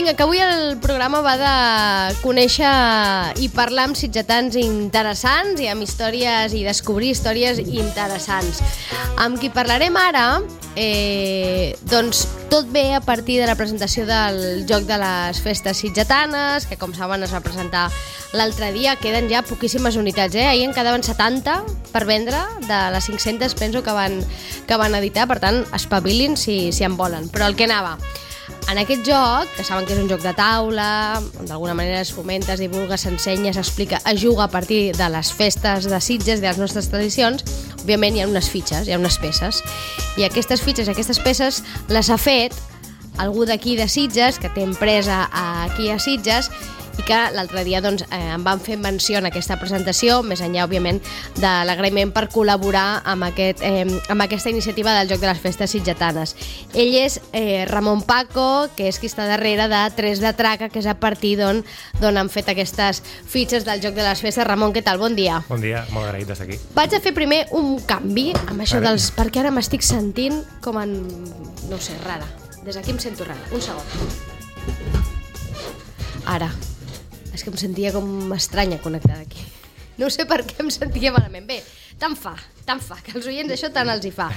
Vinga, que avui el programa va de conèixer i parlar amb sitgetans interessants i amb històries i descobrir històries interessants. Amb qui parlarem ara, doncs tot ve a partir de la presentació del Joc de les Festes Sitgetanes, que com saben es va presentar l'altre dia. Queden ja poquíssimes unitats, ahir en quedaven 70 per vendre, de les 500 penso que van editar, per tant espavilin si en volen. Però el que anava, en aquest joc, que saben que és un joc de taula, on d'alguna manera es fomenta, es divulga, s'ensenya, s'explica, es juga a partir de les festes de Sitges, de les nostres tradicions, òbviament hi ha unes fitxes, hi ha unes peces, i aquestes fitxes, aquestes peces les ha fet algú d'aquí de Sitges, que té empresa aquí a Sitges, i que l'altre dia doncs, em van fer menció en aquesta presentació, més enllà, òbviament, de l'agraïment per col·laborar amb aquesta iniciativa del Joc de les Festes Sitgetanes. Ell és Ramon Paco, que és qui està darrere de Tres de Traca, que és a partir d'on han fet aquestes fitxes del Joc de les Festes. Ramon, què tal? Bon dia. Bon dia, molt agraït d'estar aquí. Vaig a fer primer un canvi amb això dels... perquè ara m'estic sentint com en... no sé, rara. Des d'aquí em sento rara. Un segon. Ara. És que em sentia com estranya connectada aquí. No sé per què em sentia malament. Bé, tant fa, que els oients això tant els hi fa.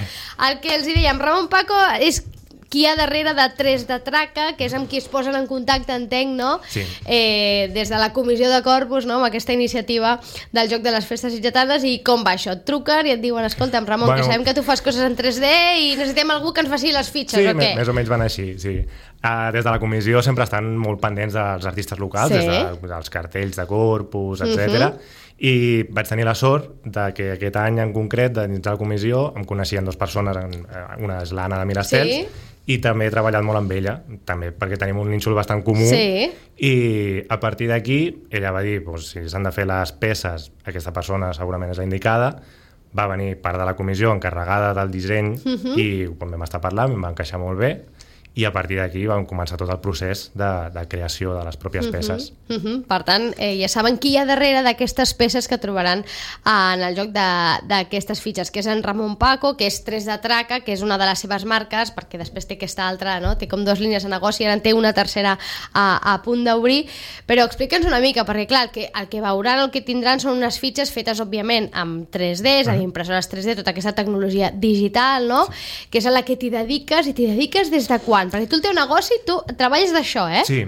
El que els hi dèiem, Ramon Paco és qui hi ha darrere de Tres de Traca, que és amb qui es posen en contacte, entenc, no? Sí. Des de la comissió de Corpus, no? Amb aquesta iniciativa del Joc de les Festes Sitgetanes. I com va això? Et truquen i et diuen, escolta'm, Ramon, que sabem que tu fas coses en 3D i necessitem algú que ens faci les fitxes, o què? Sí, més o menys van així, sí. Des de la comissió sempre estan molt pendents dels artistes locals, sí, dels cartells de Corpus, etc. I vaig tenir la sort que aquest any en concret, dins de la comissió, em coneixien dues persones, una és l'Anna de Miracels, sí, i també he treballat molt amb ella, també perquè tenim un nínxol bastant comú, sí, i a partir d'aquí ella va dir, si s'han de fer les peces, aquesta persona segurament és la indicada. Va venir part de la comissió encarregada del disseny i quan vam estar parlant em va encaixar molt bé. I a partir d'aquí vam començar tot el procés de creació de les pròpies peces. Per tant, ja saben qui hi ha darrere d'aquestes peces que trobaran en el joc d'aquestes fitxes, que és en Ramon Paco, que és Tres de Traca, que és una de les seves marques, perquè després té aquesta altra, no? Té com dues línies de negoci, ara en té una tercera a punt d'obrir. Però explica'ns una mica, perquè clar, el que veuran, el que tindran són unes fitxes fetes, òbviament, amb 3D, és a dir, impressores 3D, tota aquesta tecnologia digital, no? Sí. Que és a la que t'hi dediques, i t'hi dediques des de quan? Perquè tu el teu negoci, tu treballes d'això, eh? Sí,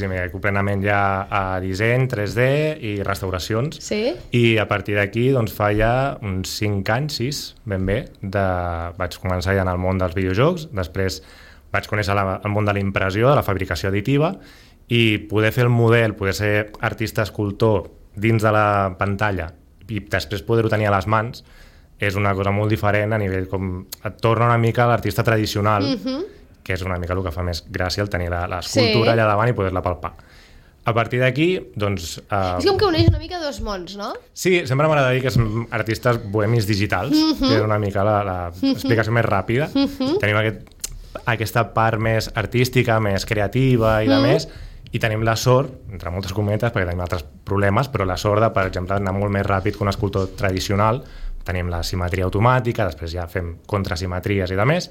mira, plenament ja a disseny, 3D i restauracions. Sí. I a partir d'aquí, doncs, fa ja uns 5 anys, 6, ben bé, vaig començar ja en el món dels videojocs, després vaig conèixer el món de la impressió, de la fabricació additiva, i poder fer el model, poder ser artista escultor dins de la pantalla i després poder-ho tenir a les mans, és una cosa molt diferent a nivell com... Et torna una mica a l'artista tradicional, que és una mica el que fa més gràcia el tenir l'escultura allà davant i poder-la palpar. A partir d'aquí, doncs... És com que uneix una mica dos mons, no? Sí, sempre m'agrada dir que som artistes bohemis digitals, que és una mica l'explicació més ràpida. Tenim aquesta part més artística, més creativa i de més, i tenim la sort, entre moltes cometes, perquè tenim altres problemes, però la sort de, per exemple, anar molt més ràpid que un escultor tradicional. Tenim la simetria automàtica, després ja fem contrasimetries i de més,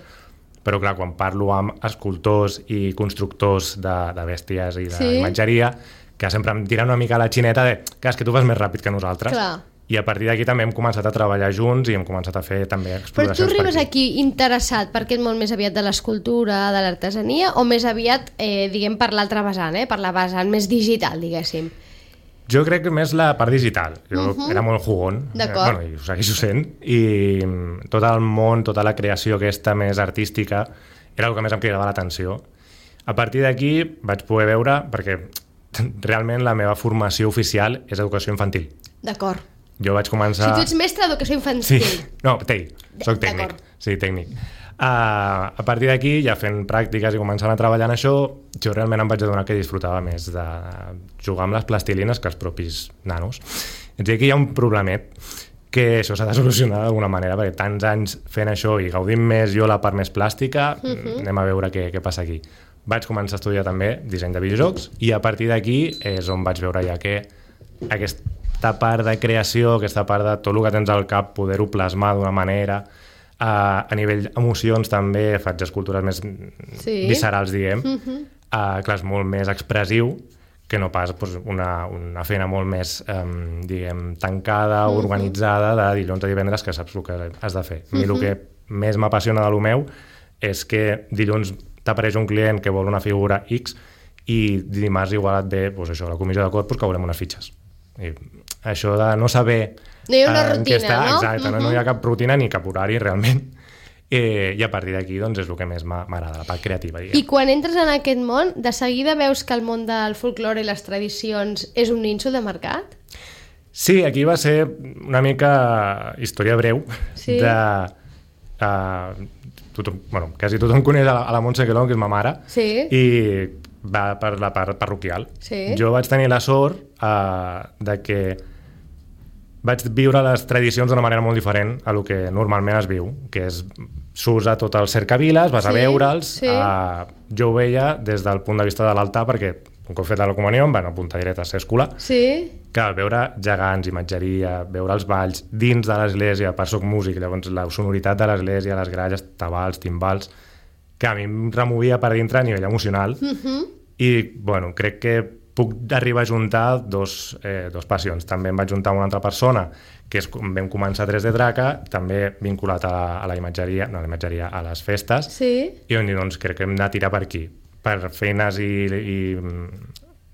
però clar, quan parlo amb escultors i constructors de bèsties i d'imatgeria, que sempre em tiren una mica la xineta de que és que tu vas més ràpid que nosaltres. Clar. I a partir d'aquí també hem començat a treballar junts i hem començat a fer també exploracions. Però tu arribes aquí interessat per què és molt més aviat de l'escultura, de l'artesania, o més aviat, diguem, per l'altra vessant, per la vessant més digital, diguéssim? Jo crec que més la part digital. Jo era molt jugón, i ho segueixo sent, i tot el món, tota la creació aquesta més artística era el que més em cridava l'atenció. A partir d'aquí vaig poder veure, perquè realment la meva formació oficial és educació infantil. D'acord. Jo vaig començar... Si tu ets mestre d'educació infantil. Sí, no, soc tècnic. Sí, tècnic. A partir d'aquí, ja fent pràctiques i començant a treballar en això, jo realment em vaig adonar que disfrutava més de jugar amb les plastilines que els propis nanos. És a dir, aquí hi ha un problemet que això s'ha de solucionar d'alguna manera, perquè tants anys fent això i gaudint més jo la part més plàstica, anem a veure què passa aquí. Vaig començar a estudiar també disseny de videojocs i a partir d'aquí és on vaig veure ja que aquesta part de creació, aquesta part de tot el que tens al cap, poder-ho plasmar d'una manera. A nivell emocions també faig escultures més viscerals, diguem. clar, és molt més expressiu que no pas doncs, una feina molt més, diguem, tancada, organitzada, de dilluns a divendres, que saps el que has de fer. A mi el que més m'apassiona de lo meu és que dilluns t'apareix un client que vol una figura X i dimarts igual et ve doncs això, la comissió de corpus que volem unes fitxes. I això de no saber... No hi ha una rutina, no? Exacte, no hi ha cap rutina ni cap horari realment. I a partir d'aquí doncs, és el que més m'agrada, la part creativa. Diguem. I quan entres en aquest món, de seguida veus que el món del folklore i les tradicions és un nínxol de mercat? Sí, aquí va ser una mica història breu de... quasi tothom coneix a la Montse Quelón, que és ma mare, i va per la part parroquial. Jo vaig tenir la sort de que vaig viure les tradicions d'una manera molt diferent a lo que normalment es viu, que és s'usa tot el cercaviles, vas a veure'ls, jo ho veia des del punt de vista de l'altar, perquè un cop feta la comunió em van apuntar directe a ser escolar, que al veure gegants, imatgeria, veure els balls dins de l'església, per soc músic, llavors la sonoritat de l'església, les gralles, tabals, timbals, que a mi em removia per dintre a nivell emocional, i bueno, crec que puc arribar a juntar dos passions. També em vaig juntar amb una altra persona, que és com vam començar 3D Draca, també vinculat a la imatgeria, a les festes, i on doncs, crec que hem de tirar per aquí. Per feines i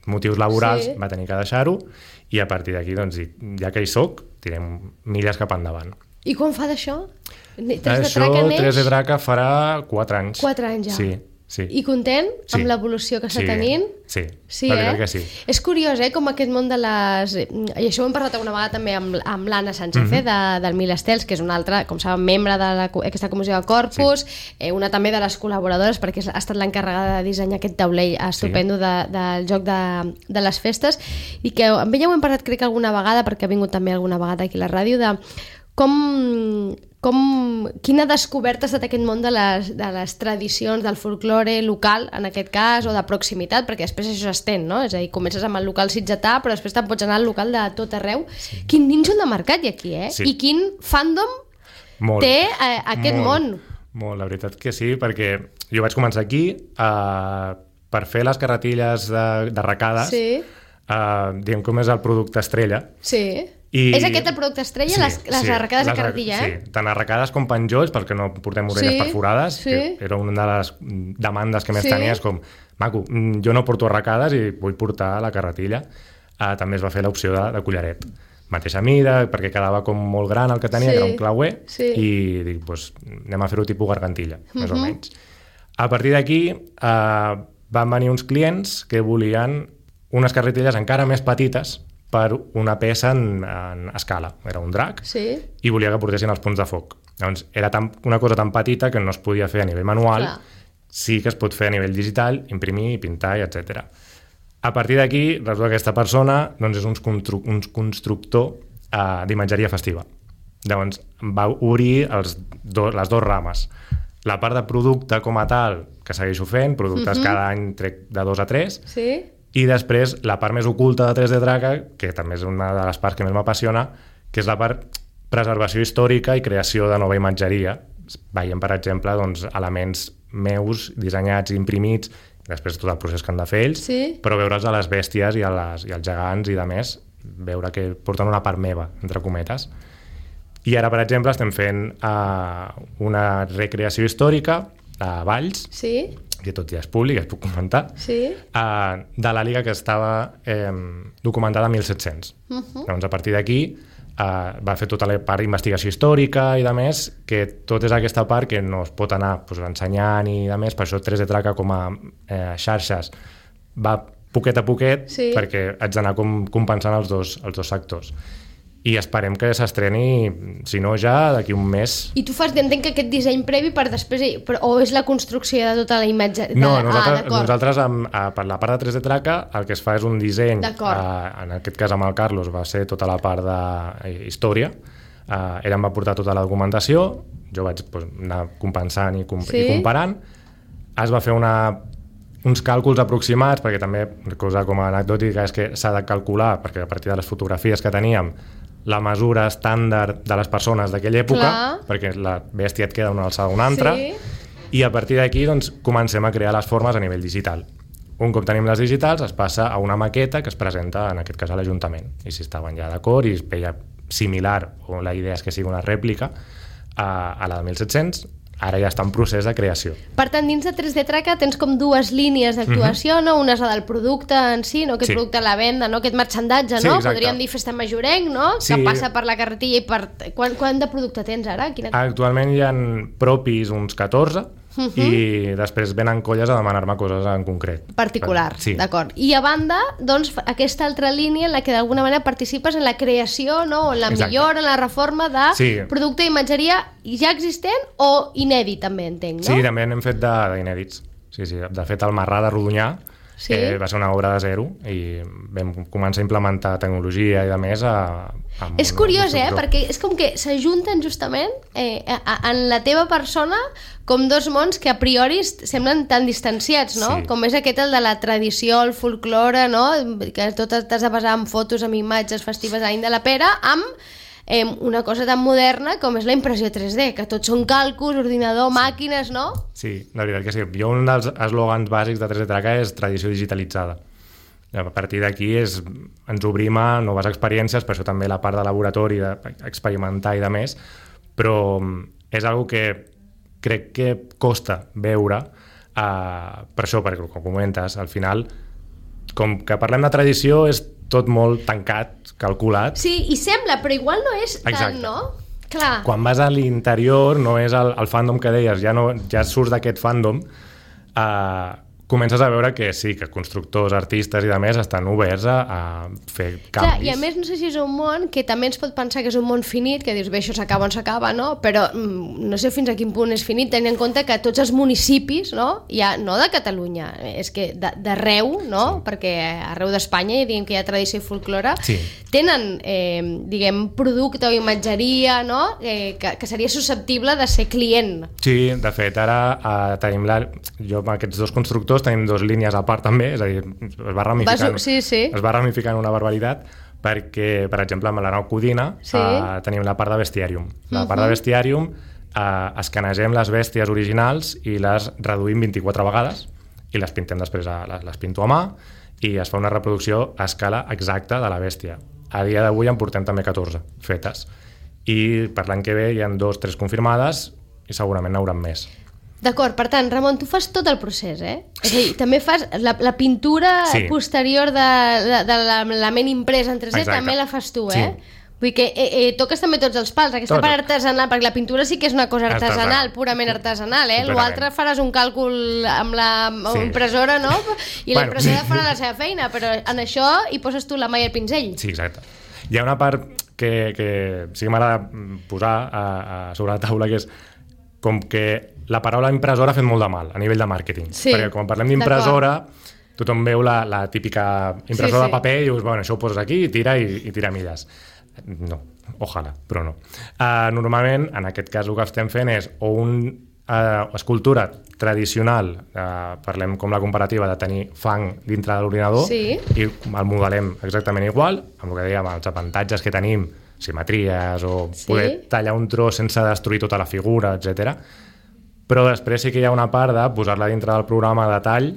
motius laborals va tenir que deixar-ho, i a partir d'aquí, doncs, ja que hi soc, tirem milles cap endavant. I quan fa d'això? 3D Draca farà 4 anys. 4 anys ja? Sí. I content amb l'evolució que està tenint? Sí, la veritat que sí. És curiós, com aquest món de les... I això ho hem parlat alguna vegada també amb l'Anna Sánchez, del Mil Estels, que és una altra, com saben, membre d'aquesta comissió de Corpus, una també de les col·laboradores, perquè ha estat l'encarregada de dissenyar aquest taulell estupendo del joc de les festes, i que amb ella ho hem parlat, crec que alguna vegada, perquè ha vingut també alguna vegada aquí a la ràdio, de quina descoberta ha estat aquest món de les tradicions, del folklore local, en aquest cas, o de proximitat, perquè després això s'estén, no? És a dir, comences amb el local sitgetà, però després te'n pots anar al local de tot arreu. Quin nínxol de mercat hi ha aquí, I quin fandom té aquest món. Molt, la veritat que sí, perquè jo vaig començar aquí per fer les carretilles d'arracades, diguem com és el producte estrella. És aquest el producte estrella, les arracades de carretilla, Sí, tant arracades com penjolls, perquè no portem orelles perforades, que era una de les demandes que més tenies, com, maco, jo no porto arracades i vull portar la carretilla. També es va fer l'opció de collaret. Mateixa mida, perquè quedava com molt gran el que tenia, que era un clauer, i dic, doncs anem a fer-ho tipus gargantilla, més o menys. A partir d'aquí van venir uns clients que volien unes carretilles encara més petites per una peça en escala. Era un drac i volia que portessin els punts de foc. Llavors, era una cosa tan petita que no es podia fer a nivell manual, sí que es pot fer a nivell digital, imprimir, pintar, etc. A partir d'aquí, resulta que aquesta persona doncs, és un constructor d'imatgeria festiva. Llavors, va obrir les dues rames. La part de producte com a tal, que segueixo fent, productes cada any trec de 2 a 3, i després la part més oculta de 3D Draca, que també és una de les parts que més m'apassiona, que és la part preservació històrica i creació de nova imatgeria. Veiem, per exemple, doncs, elements meus dissenyats i imprimits, després tot el procés que han de fer ells, però veure'ls a les bèsties i als gegants i de més, veure que porten una part meva, entre cometes. I ara, per exemple, estem fent una recreació històrica a Valls, que tot ja és públic, es puc comentar, de la Liga que estava documentada en 1700. Llavors, a partir d'aquí, va fer tota la part d'investigació històrica i de més, que tot és aquesta part que no es pot anar ensenyant i de més, per això 3D Draca com a xarxes va poquet a poquet, perquè haig d'anar compensant els dos sectors. I esperem que s'estreni, si no ja, d'aquí un mes. I tu entenc que aquest disseny previ per després, o és la construcció de tota la imatge? No, nosaltres per la part de 3D Draca el que es fa és un disseny, en aquest cas amb el Carlos va ser tota la part d'història, ell em va portar tota la documentació, jo vaig anar compensant i comparant, es va fer uns càlculs aproximats, perquè també, cosa com a anecdòtica, és que s'ha de calcular, perquè a partir de les fotografies que teníem, la mesura estàndard de les persones d'aquella època, perquè la bèstia et queda una alçada a una altra, i a partir d'aquí doncs, comencem a crear les formes a nivell digital. un cop tenim les digitals es passa a una maqueta que es presenta en aquest cas a l'Ajuntament, i si estaven ja d'acord i es veia similar, o la idea és que sigui una rèplica a la de 1700, ara ja està en procés de creació. Per tant, dins de 3D Traca tens com dues línies d'actuació, no? Una és la del producte en si, no? Aquest producte a la venda, no? Aquest marxandatge, no? Podríem dir festa majorenc, no? Que passa per la carretilla i per... Quant de producte tens ara? Actualment hi ha propis uns 14, i després venen colles a demanar-me coses en concret. Particular, d'acord. I a banda, doncs, aquesta altra línia en la que d'alguna manera participes en la creació, no? O en la millora, en la reforma de producte d'imatgeria ja existent o inèdit, també entenc, no? Sí, també n'hem fet d'inèdits. Sí. De fet, el Marrà de Rodonyà va ser una obra de zero i vam començar a implementar tecnologia i de més és curiós, perquè és com que s'ajunten justament en la teva persona com dos mons que a priori semblen tan distanciats, no? Com és aquest el de la tradició, el folklore, no? Que tot t'has de basar en fotos, en imatges festives a l'any de la pera, amb una cosa tan moderna com és la impressió 3D, que tots són càlculs, ordinador, màquines, no? Sí, la veritat que sí. Jo un dels eslògans bàsics de 3D Traca és tradició digitalitzada. A partir d'aquí ens obrim a noves experiències, per això també la part de laboratori, d'experimentar i de més, però és una que crec que costa veure, per això, perquè com comentes, al final, com que parlem de tradició, és tot molt tancat, calculat. Sí, i sembla, però igual no és tant, no? Clar. Quan vas a l'interior, no és el fandom que deies, ja surts d'aquest fandom, comences a veure que sí, que constructors, artistes i de més estan oberts a fer canvis. Clar, i a més no sé si és un món que també ens pot pensar que és un món finit, que dius, bé, això s'acaba on s'acaba, no? Però no sé fins a quin punt és finit, tenint en compte que tots els municipis, no? Ja, no de Catalunya, és que d'arreu, no? Perquè arreu d'Espanya, diguem que hi ha tradició i folklore, tenen, diguem, producte o imatgeria, no? Que seria susceptible de ser client. Sí, de fet, ara tenim jo amb aquests dos constructors tenim dues línies a part també, és a dir, es va ramificant una barbaritat, perquè, per exemple, amb l'Arnau Codina tenim la part de bestiàrium. La part de bestiàrium escanegem les bèsties originals i les reduïm 24 vegades i les pintem després, les pinto a mà i es fa una reproducció a escala exacta de la bèstia. A dia d'avui en portem també 14 fetes i per l'any que ve hi ha 2 o 3 confirmades i segurament n'hauran més. D'acord, per tant, Ramon, tu fas tot el procés, És a dir, també fas la pintura posterior de l'element imprès en 3D, també la fas tu, Vull dir que toques també tots els pals, aquesta part artesanal, perquè la pintura sí que és una cosa artesanal, purament artesanal, L'altre faràs un càlcul amb la impressora, no? I la impressora farà la seva feina, però en això hi poses tu la mà i el pinzell. Sí, exacte. Hi ha una part que sí que m'agrada posar sobre la taula, que és com que la paraula impressora ha fet molt de mal a nivell de màrqueting, perquè quan parlem d'impressora tothom veu la típica impressora de paper i dius, bueno, això ho poses aquí i tira milles. No, ojalà, però no. Normalment, en aquest cas el que estem fent és o una escultura tradicional, parlem com la comparativa de tenir fang dintre de l'ordinador i el modelem exactament igual, amb el que dèiem, els avantatges que tenim, simetries o poder tallar un tros sense destruir tota la figura, etc. Però després sí que hi ha una part de posar-la dintre del programa de tall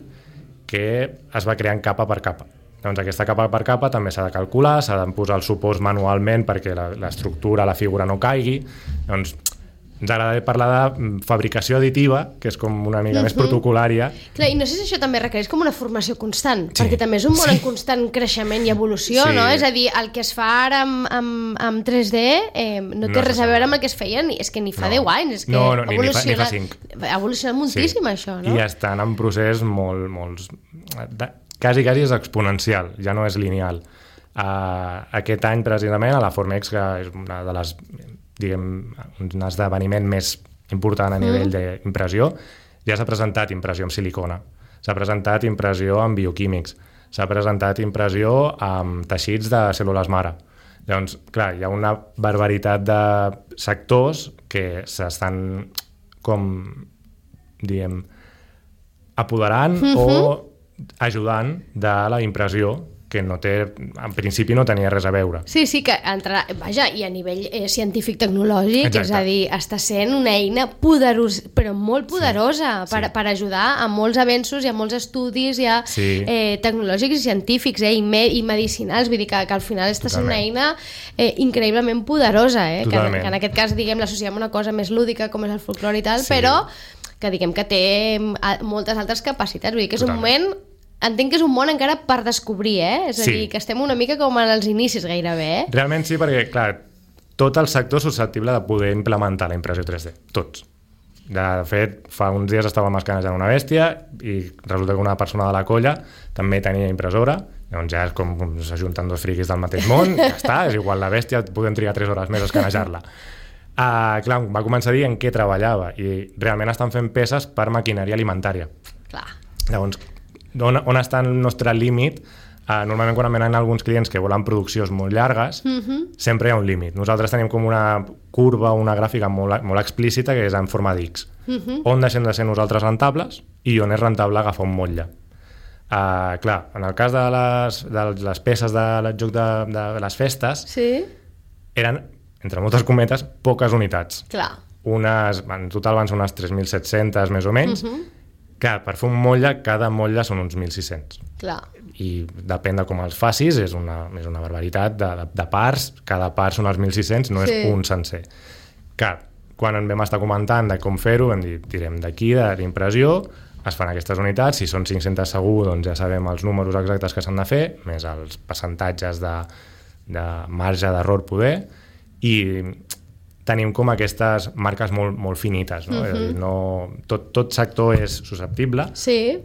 que es va creant capa per capa. Doncs aquesta capa per capa també s'ha de calcular, s'ha de posar els suports manualment perquè l'estructura, la figura no caigui. Doncs ens agrada parlar de fabricació additiva, que és com una mica més protocolària. Clar, i no sé si això també requereix com una formació constant, perquè també és un món en constant creixement i evolució, no? És a dir, el que es fa ara amb 3D no té res a veure amb el que es feia, és que ni fa 10 anys, és que ni fa 5. Ha evolucionat moltíssim, això, no? I estan en procés molt... Quasi és exponencial, ja no és lineal. Aquest any, precisament, a la Formex, que és una de les... diguem, un esdeveniment més important a nivell d'impressió, ja s'ha presentat impressió amb silicona, s'ha presentat impressió amb bioquímics, s'ha presentat impressió amb teixits de cèl·lules mare. Llavors, clar, hi ha una barbaritat de sectors que s'estan com, diguem, apoderant o ajudant de la impressió que no té, en principi no tenia res a veure. Sí, que vaja, i a nivell científic-tecnològic, Exacte. és a dir, està sent una eina poderosa, però molt poderosa per ajudar a molts avenços i a molts estudis tecnològics i científics i medicinals, vull dir que al final està sent una eina increïblement poderosa, que en aquest cas, diguem, l'associem a una cosa més lúdica com és el folclore i tal, però que diguem que té moltes altres capacitats, vull dir que és un moment, entenc que és un món encara per descobrir, és a dir, que estem una mica com als inicis gairebé. Realment sí, perquè, clar, tot el sector és susceptible de poder implementar la impressió 3D, tots. De fet, fa uns dies estàvem escanejant una bèstia i resulta que una persona de la colla també tenia impressora, doncs ja és com s'ajunten dos friquis del mateix món, ja està, és igual la bèstia, podem trigar 3 hores més a escanejar-la. Clar, va començar a dir en què treballava i realment estan fent peces per maquinària alimentària. Clar. Llavors, on està el nostre límit? Normalment quan venen alguns clients que volen produccions molt llargues, sempre hi ha un límit. Nosaltres tenim com una curva, una gràfica molt explícita que és en forma d'X. On deixem de ser nosaltres rentables i on és rentable agafar un motlle. Clar, en el cas de les peces del joc de les festes, eren, entre moltes cometes, poques unitats. Clar. En total van ser unes 3.700 més o menys. Clar, per fer un motlle, cada motlle són uns 1.600. Clar. I depèn de com els facis, és una barbaritat de parts, cada part són els 1.600, no és un sencer. Clar, quan en vam estar comentant de com fer-ho, vam dir, tirem d'aquí, de l'impressió, es fan aquestes unitats, si són 500 segur, doncs ja sabem els números exactes que s'han de fer, més els percentatges de marge d'error poder, i tenim com aquestes marques molt finites, no? És a dir, tot sector és susceptible,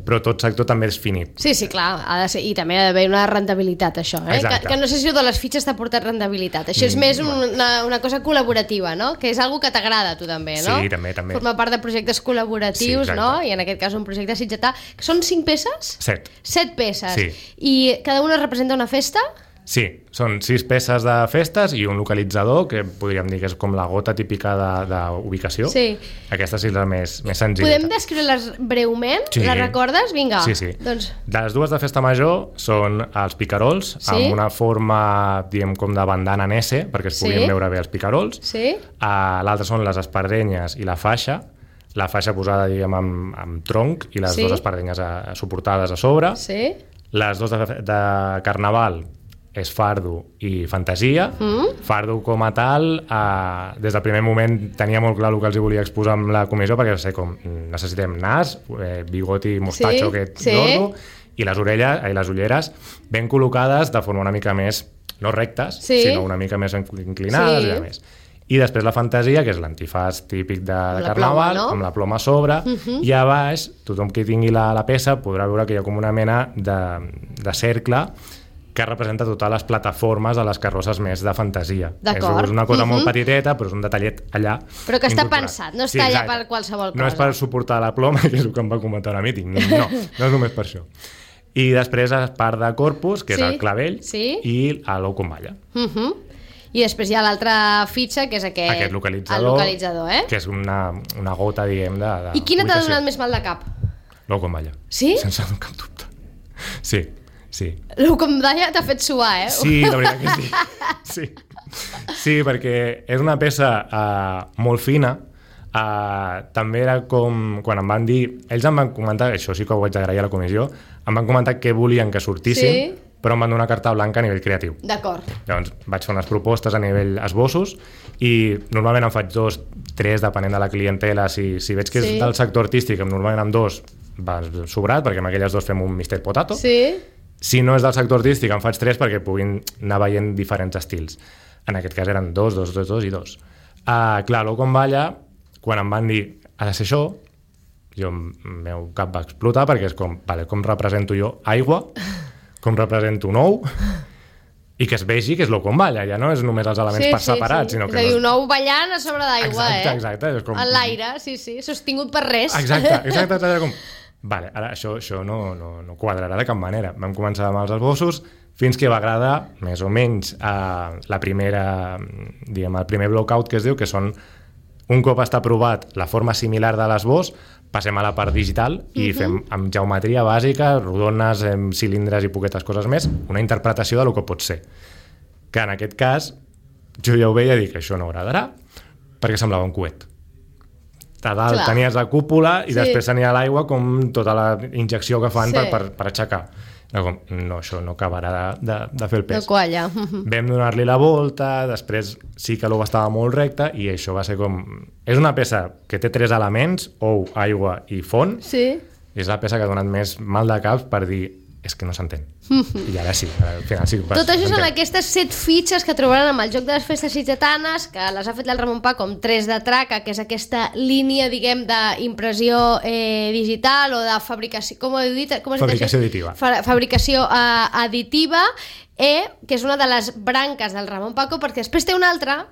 però tot sector també és finit. Sí, clar, ha de ser, i també ha d'haver una rendibilitat, això, que no sé si de les fitxes t'ha portat rendibilitat, això és més una cosa col·laborativa, no? Que és algo que t'agrada a tu també, no? Sí, també. Forma part de projectes col·laboratius, no? I en aquest cas un projecte sitgetà. Són 5 peces? 7. 7 peces. Sí. I cada una representa una festa? Sí, són 6 peces de festes i un localitzador, que podríem dir que és com la gota típica d'ubicació. Sí. Aquesta sí és la més senzilla. Podem descriure-les breument? Sí. Les recordes? Vinga. Sí. Doncs... Les dues de festa major són els picarols, amb una forma, diguem, com de bandana en S, perquè es puguin veure bé els picarols. L'altra són les espardenyes i la faixa posada, diguem, amb tronc, i les dues espardenyes suportades a sobre. Les dues de carnaval és fardo i fantasia. Fardo com a tal, des del primer moment tenia molt clar el que els volia exposar amb la comissió, perquè necessitem nas, bigot i mostatxo gordo, i les ulleres ben col·locades de forma una mica més, no rectes, sinó una mica més inclinades i més. I després la fantasia, que és l'antifàs típic de carnaval, amb la ploma a sobre, i a baix, tothom que tingui la peça podrà veure que hi ha com una mena de cercle que representa totes les plataformes de les carrosses més de fantasia. És una cosa molt petiteta, però és un detallet allà. Però que està pensat, no està allà per qualsevol cosa. No és per suportar la ploma, que és el que em va comentar a mi, no és només per això. I després es part de corpus, que és el clavell, i l'ou com balla. I després hi ha l'altra fitxa, que és aquest localitzador, que és una gota, diguem, de... I quina t'ha donat més mal de cap? L'ou com balla. Sí? Sense cap dubte. Sí. L'ou com balla t'ha fet suar, Sí, la veritat que sí. Sí, perquè és una peça molt fina. També era com quan em van dir, ells em van comentar, això sí que ho vaig agrair a la comissió, em van comentar què volien que sortissin, però em van donar carta blanca a nivell creatiu. D'acord. Llavors vaig fer unes propostes a nivell esbossos i normalment en faig 2, 3, depenent de la clientela. Si veig que és del sector artístic, normalment amb 2 va sobrat, perquè amb aquelles 2 fem un Mr. Potato. Si no és del sector artístic, en faig 3 perquè puguin anar veient diferents estils. En aquest cas eren 2, 2, 2, 2 i 2. Clar, l'ou com balla, quan em van dir ha de ser això, el meu cap va explotar, perquè és com represento jo aigua, com represento un ou, i que es vegi que és l'ou com balla, ja no és només els elements per separats, sinó que... És a dir, un ou ballant a sobre d'aigua, Exacte. En l'aire, sostingut per res. Exacte, com... Vale, ara això no quadrarà de cap manera. Vam començar amb els esbossos fins que va agradar més o menys el primer blockout que es diu, que són, un cop està aprovat la forma similar de l'esbós, passem a la part digital i fem amb geometria bàsica, rodones, cilindres i poquetes coses més, una interpretació del que pot ser. Que en aquest cas, jo ja ho veia i dic, això no agradarà, perquè semblava un coet. A dalt tenies la cúpula i després tenia l'aigua com tota la injecció que fan per aixecar. Com, no, això no acabarà de fer el pes. No qualla. Vam donar-li la volta, després sí que l'ou estava molt recte i això va ser com... És una peça que té 3 elements, ou, aigua i font. Sí. És la peça que ha donat més mal de caps per dir és que no s'entén. I ara sí, al final sí. Tot això són aquestes 7 fitxes que trobaran amb el joc de les festes sitgetanes, que les ha fet el Ramon Paco amb 3 de traca, que és aquesta línia, diguem, d'impressió digital o de fabricació... Com ho heu dit? Fabricació additiva. Fabricació additiva, que és una de les branques del Ramon Paco, perquè després té una altra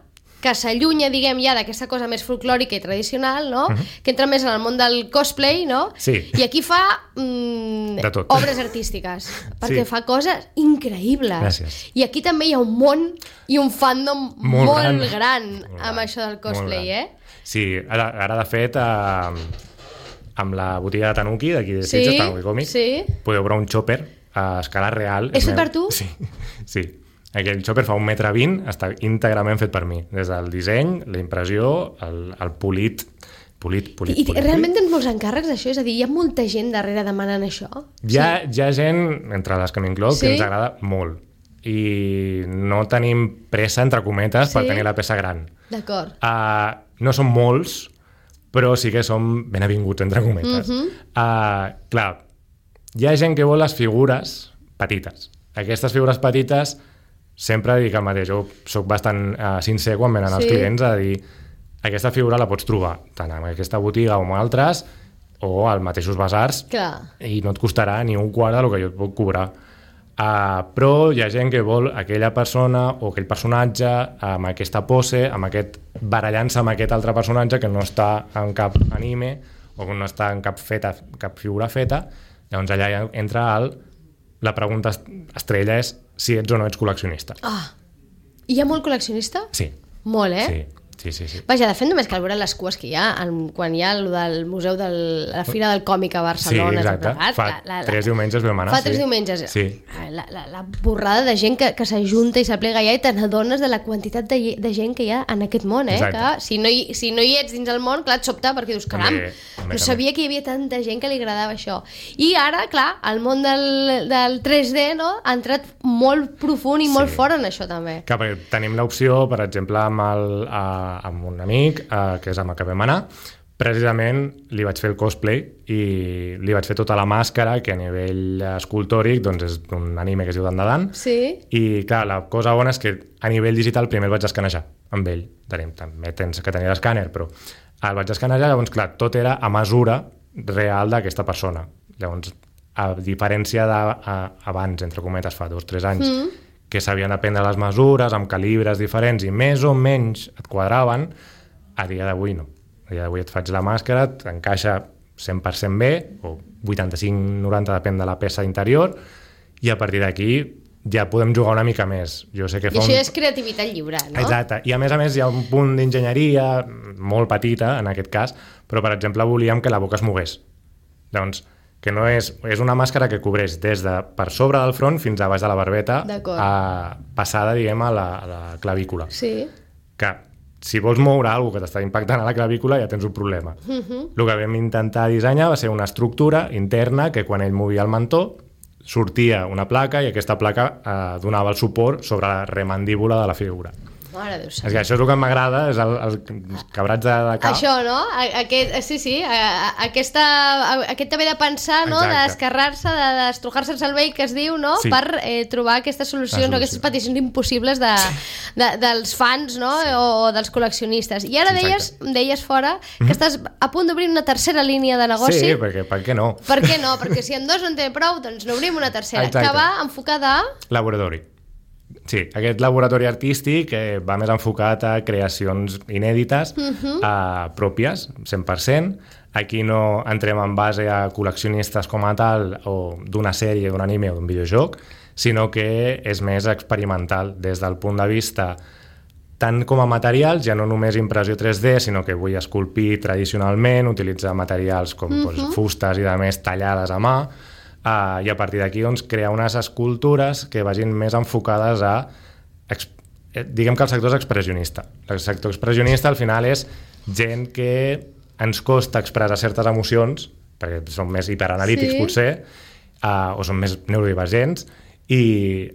que s'allunya, diguem, ja d'aquesta cosa més folclòrica i tradicional, no? Que entra més en el món del cosplay, no? Sí. I aquí fa de tot. obres artístiques, perquè fa coses increïbles. Gràcies. I aquí també hi ha un món i un fandom molt gran amb això del cosplay, Sí, ara de fet, amb la botiga de Tanuki, d'aquí de Sitges, Tanuki Còmics, podeu veure un chopper a escala real. És fet per tu? Sí. Aquell chopper fa 1,20 m, està íntegrament fet per mi. Des del disseny, la impressió, el polit. I realment tens molts encàrrecs d'això? És a dir, hi ha molta gent darrere demanant això? Hi ha gent, entre les que m'incloc, que ens agrada molt. I no tenim pressa, entre cometes, per tenir la peça gran. D'acord. No som molts, però sí que som ben avinguts, entre cometes. Clar, hi ha gent que vol les figures petites. Aquestes figures petites sempre dic el mateix, jo soc bastant sincer quan venen els clients a dir aquesta figura la pots trobar tant en aquesta botiga o en altres o als mateixos basars i no et costarà ni un quart del que jo et puc cobrar. Però hi ha gent que vol aquella persona o aquell personatge amb aquesta pose, amb aquest barallant-se amb aquest altre personatge que no està en cap anime o que no està en cap figura feta. Llavors allà entra la pregunta estrella és si ets o no ets col·leccionista. Hi ha molt col·leccionista? Sí. Molt, Sí. Vaja, de fet, només cal veure les cues que hi ha quan hi ha el del Museu de la Fira del Còmic a Barcelona. Sí, exacte. Fa 3 diumenges vam anar. Fa 3 diumenges. Sí. La borrada de gent que s'ajunta i s'aplega allà i te n'adones de la quantitat de gent que hi ha en aquest món, que si no hi ets dins el món, clar, et sobta perquè dius, caram, no sabia que hi havia tanta gent que li agradava això. I ara, clar, el món del 3D ha entrat molt profund i molt fort en això també. Clar, perquè tenim l'opció, per exemple, amb un amic, que és amb el que vam anar, precisament li vaig fer el cosplay i li vaig fer tota la màscara, que a nivell escultòric doncs és d'un anime que es diu Dandadan. I clar, la cosa bona és que a nivell digital primer el vaig escanejar amb ell. També tens que tenir l'escàner, però el vaig escanejar, llavors clar, tot era a mesura real d'aquesta persona. Llavors, a diferència d'abans, entre cometes, fa 2 o 3 anys, que s'havien de prendre les mesures amb calibres diferents i més o menys et quadraven, a dia d'avui no. A dia d'avui et faig la màscara, t'encaixa 100% bé, o 85-90, depèn de la peça interior, i a partir d'aquí ja podem jugar una mica més. Jo sé que I això és creativitat lliure, no? Exacte. I a més hi ha un punt d'enginyeria molt petita, en aquest cas, però per exemple volíem que la boca es mogués. Llavors, que no és una màscara que cobreix des de per sobre del front fins a baix de la barbeta, passada, diguem, a la clavícula. Sí. Que si vols moure alguna cosa que t'està impactant a la clavícula ja tens un problema. El que vam intentar dissenyar va ser una estructura interna que quan ell movia el mentó sortia una placa i aquesta placa donava el suport sobre la remandíbula de la figura. Mare Déu sant. És que això és el que m'agrada, és els quebrats de cap. Això, no? Aquest haver de pensar, no? De descarrar-se, d'estrujar-se el cervell, que es diu, no? Per trobar aquestes solucions, aquestes peticions impossibles dels fans, no? O dels col·leccionistes. I ara deies fora que estàs a punt d'obrir una tercera línia de negoci. Sí, perquè per què no? Per què no? Perquè si en 2 no en té prou, doncs n'obrim una tercera, que va enfocada a... Laboratori. Sí, aquest laboratori artístic va més enfocat a creacions inèdites, pròpies, 100%. Aquí no entrem en base a col·leccionistes com a tal, o d'una sèrie, d'un anime o d'un videojoc, sinó que és més experimental des del punt de vista tant com a materials, ja no només impressió 3D, sinó que vull esculpir tradicionalment, utilitzar materials com fustes i de més tallades a mà, i a partir d'aquí doncs, crear unes escultures que vagin més enfocades a... Diguem que el sector és expressionista. El sector expressionista al final és gent que ens costa expressar certes emocions, perquè són més hiperanalítics potser, o són més neurodivergents, i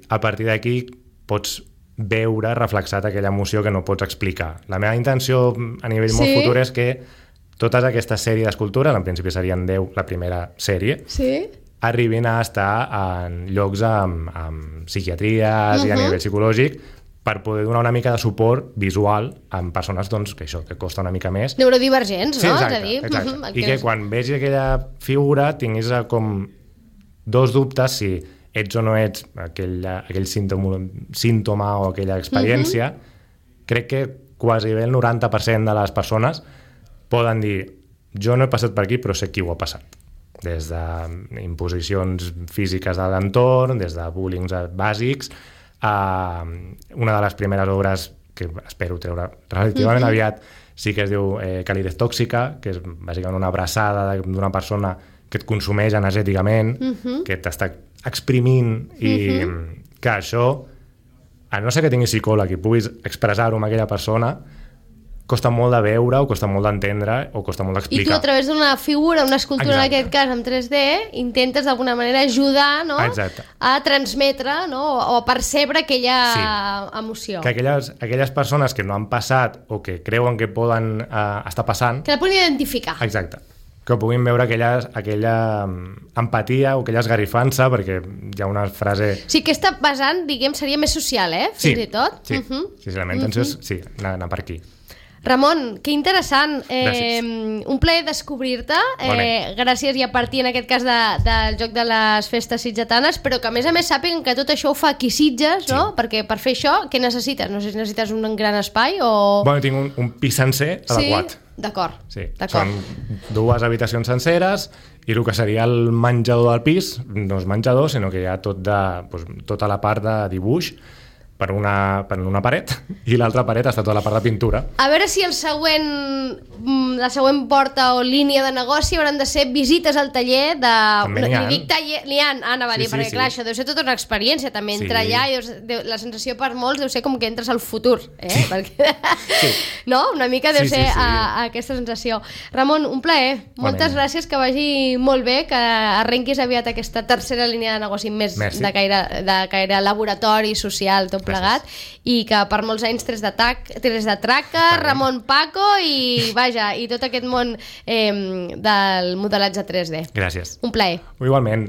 a partir d'aquí pots veure reflexat aquella emoció que no pots explicar. La meva intenció a nivell molt futur és que totes aquestes sèries d'escultures, en principi serien 10 la primera sèrie, arribin a estar en llocs amb psiquiatries i a nivell psicològic, per poder donar una mica de suport visual amb persones doncs, que això, que costa una mica més. Neurodivergents, no? Exacte, és a dir, exacte. I que quan vegi aquella figura tinguis com dos dubtes si ets o no ets aquell símptoma o aquella experiència. Crec que quasi bé el 90% de les persones poden dir jo no he passat per aquí però sé qui ho ha passat. Des d'imposicions físiques de l'entorn, des de bullings bàsics, una de les primeres obres que espero treure relativament aviat sí que es diu Calidez tòxica, que és bàsicament una abraçada d'una persona que et consumeix energèticament, que t'està exprimint i que això, a no ser que tinguis psicòleg i puguis expressar-ho amb aquella persona, costa molt de veure o costa molt d'entendre o costa molt d'explicar. I tu a través d'una figura, una escultura en aquest cas en 3D, intentes d'alguna manera ajudar a transmetre o a percebre aquella emoció. Que aquelles persones que no han passat o que creuen que poden estar passant... Que la puguin identificar. Exacte. Que puguin veure aquella empatia o aquella esgarrifança, perquè hi ha una frase... Sí, que està basant, diguem, seria més social, fins i tot. Sí, la meva intenció és anar per aquí. Ramon, que interessant. Un plaer descobrir-te. Gràcies i a partir, en aquest cas, del Joc de les Festes Sitgetanes, però que a més sàpiguen que tot això ho fa aquí Sitges, no? Perquè per fer això, què necessites? No sé si necessites un gran espai o... Bueno, tinc un pis sencer adequat. D'acord. Sí, són 2 habitacions senceres i el que seria el menjador del pis no és menjador, sinó que hi ha tota la part de dibuix per una paret i l'altra paret està tota la part de pintura. A veure si la següent porta o línia de negoci hauran de ser visites al taller de... N'hi ha, anava a dir, perquè clar, això deu ser tota una experiència també, entrar allà i la sensació per molts deu ser com que entres al futur, perquè no? Una mica deu ser aquesta sensació. Ramon, un plaer, moltes gràcies, que vagi molt bé, que arrenquis aviat aquesta tercera línia de negoci més de caire laboratori, social, tot plegat, i que per molts anys 3 de Traca, Ramon Paco i tot aquest món del modelatge 3D. Gràcies. Un plaer. Igualment.